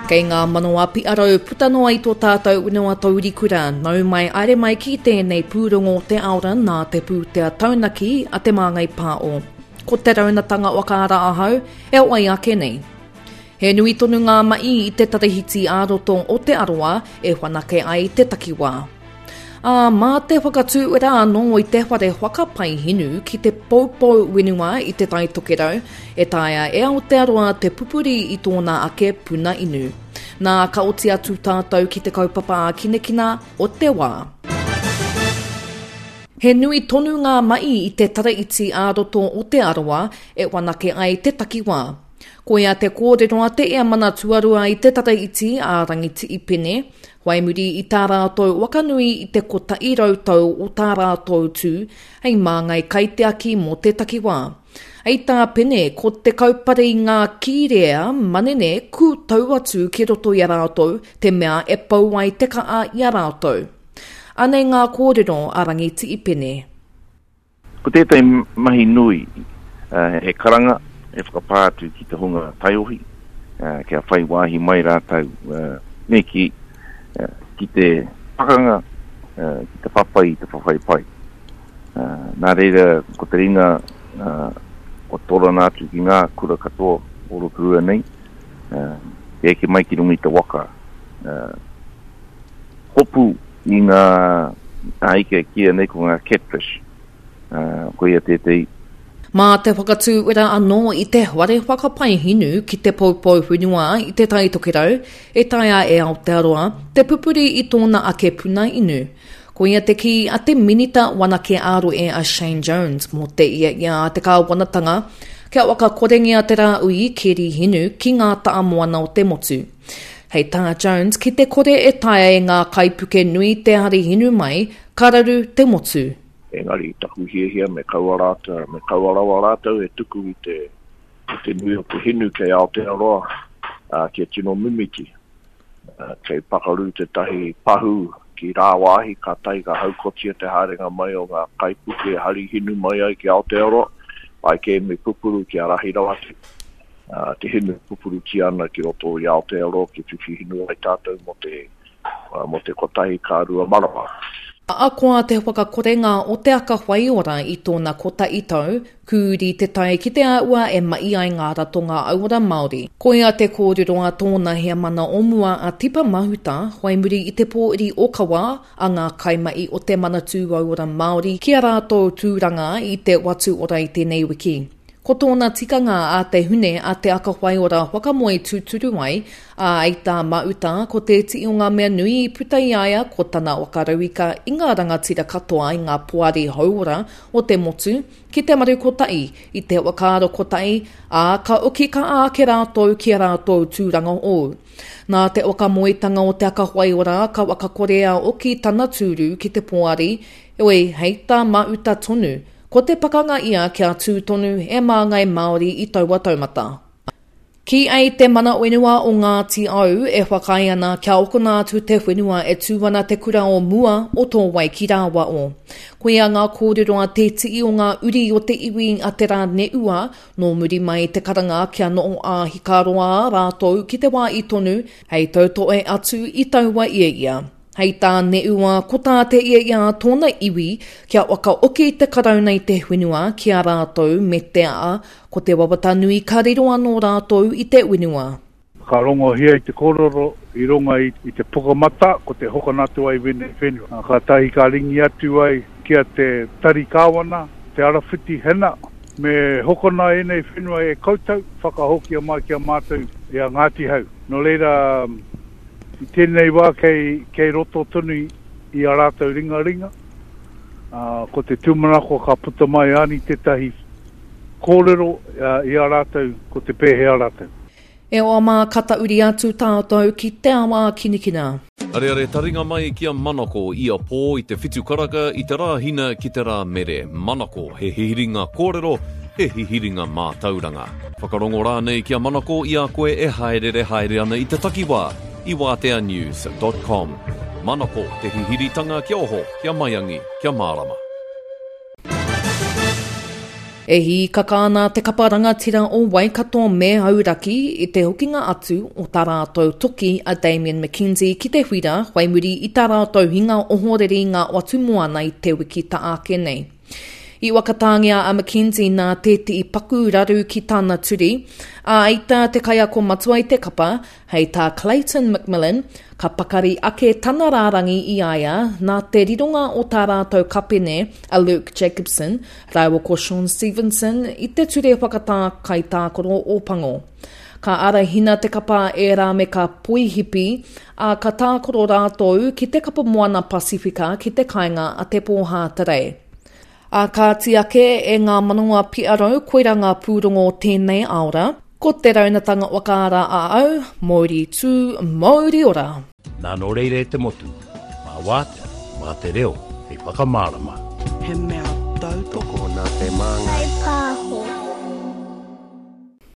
Kei ngā manawa piarau puta noa i tō tātou whenua taurikura, nau mai aere mai ki tēnei pūrongo o te aora nā te pūtea taunaki a Te Māngai Pāo. Ko te raunatanga whakaara ahau e wai ake nei. He nui tonu ngā mahi i te tarahiti ā-roto o Te Arawa e whanake ai te takiwā. Ā, mā te whakatūwera anō i te whare whakapae hinu ki te poupou whenua i Te Tai Tokerau, e taea e Aotearoa te pupuri i tōna ake puna inu. Nā, ka oti atu tātou ki te kaupapa ākinakina o te wā. He nui tonu ngā mahi i te taraiti ā-roto o Te Arawa e whanake ai te takiwā. Koia te kōrero a te Eamana Tuarua i te Taraiti a Rangiti'i Pene, whai muri i tā rātou wakanui i te 100 tau o tā rātou tū hei māngai kaitiaki mō te takiwā. Hei tā Pene, ko te kaupare i ngā kīrea manene kūtau atu ki roto i a rātou te mea e pau ai te ka'a i a rātou. Anei ngā kōrero a Rangiti'i Pene. Ko tētahi mahi nui, he karanga, he whakapā atu ki te hunga taiohi, kia whai wāhi mai rātou me kī, ki te pakanga, ki te whawhai i te whawhai pai. Nā reira, ko te ringa kua torana atu ki ngā kura katoa o Rotorua nei, kia eke mai ki runga i te waka, hopu i ngā ika e kīia nei ko ngā catfish, koia tētehi. Mā te whakatūwera anō i te whare whakapae hinu ki te poupou whenua i Te Tai Tokerau, e taea e Aotearoa te pupuri i tōna ake puna inu. Koia te kī a te Minita Wanake ā-Rohe a Shane Jones mō te ia ia a te kāwanatanga kia whakakorengia te rāhui keri hinu ki ngā tahamoana o te motu. Hei tā Jones, ki te kore e taea e ngā kaipuke nui te hari hinu mai, ka raru te motu. Engari taku hiahia me kaua rātou, me kaua rawa rātou e tuku i te, i te nui o te hinu kei Aotearoa, ā, kia tino mimiti. Ā, kei pakaru tētahi pahū ki rāwāhi, kātahi ka haukotia te haerenga mai o ngā kaipuke e hari hinu mai ai ki Aotearoa, pai kē me pupuru kia rahi rawa atu. te hinu pupurutia ana ki roto i Aotearoa kia whiwhi hinu ai tātou mō te, mō te kotahi ka rua marama. Ahakoa te whakakorenga o Te Aka Whaiora i tōna kotahi tau, kūri te tae ki te āhua e mahi ai ngā ratonga auora Māori. Koia te kōrero a tōna heamana o mua a Tipa Mahuta whai muri i te pōuri ōkawa a ngā kaimahi o Te Manatū Auora Māori ki a rātou tūranga i te Whatu Ora i tēnei wiki. Ko tōna tikanga a te hune a Te Aka Whaiora whakamoe tūturu ai, ā, i tā Mauta, ko te iti o ngā mea nui i puta i a ia ko tana waka rauika i ngā rangatira katoa i ngā poari hauora o te motu ki te maru kotahi, i te whakaaro kotahi, ā, ka oki ka āke rātou ki a rātou tūranga hou. Nā te whakamoetanga o Te Aka Whaiora ka whakakorea oki tana tūru ki te poari, heoi, hei tā Mauta tonu, Ko te pakanga ia kia tū tonu he māngai Māori i taua taumata. Kī ai te mana whenua o Ngāti Au e whakaae ana kia okona atu te whenua e tū ana te kura o mua o Tōwai ki Rāwao. Koia ngā kōrero a Te Tii o ngā uri o te iwi a Te Rāneua nō muri mai i te karanga kia noho ā-hikaroa rātou ki te wā i tonu hei tautohe atu i taua ia ia. Hei tā Neua, ko tā te ia i a tōna iwi, kia whakaoki te Karauna i te whenua ki a rātou me te aha, ko te wawata nui ka riro anō rātou i te whenua. Ka rongohia i te korero i runga i te pukamata ko te hokona atu ai wenei whenua. Katahi ka ringi atu ai ki a te Tari Kawana, Te Arawhiti Hena, me hokona enei whenua e koutou, whakahokia mai ki a matou i a Ngati Hau. No reira, I tēnei wā kei, kei roto tonu i a rātou ringaringa, ā, ko te tūmanako ka puta mai ani tētahi kōrero i a rātou ko te pēhea rātou. E hoa mā, ka tauri atu tātou ki te awa kinikina. Areare taringa mai ki a Manako ia pō i te whitu karaka i te Rāhina ki te Rāmere. Manako, he hihiringa kōrero, he hihiringa mātauranga. Whakarongo rānei ki a Manako i a koe e hāereere haere ana i te takiwā i wāteanews dot com. Manako, te hihiritanga kia oho, kia maiangi, kia mārama. E hīkaka ana te kapa rangatira o Waikato me Hauraki i te hokinga atu o tā rātou toki a Damian McKenzie ki te whira whai muri i tā rātou hinga ohorere i ngā whatumoana i te wiki ta ake nei. I whakatāngia a McKenzie nā tētehi paku raru ki tana turi, ā, i tā te kaiako matua i te kapa, Hei tā Clayton McMillan, ka pakari ake tana rārangi i a ia nā te rironga o tā rātou kapene a Luke Jacobson rāua ko Shaun Stevenson i te ture whakatā kaitākaro Ōpango. Ka arahina te kapa e Rameka Poihipi, ā, ka tākaro rātou ki te Kapa Moana Pasifika ki te kāinga a Te Pōhāterei. Ā kāti ake e ngā manawa piarau koira ngā pūrongo o tēnei aora. Ko te raunatanga whakaara a au, mouri tū, mouri ora! Nā nō reira e te motu, mā wātea, mā te reo hei whakamārama. He mea tautoko. Tokona te māngai.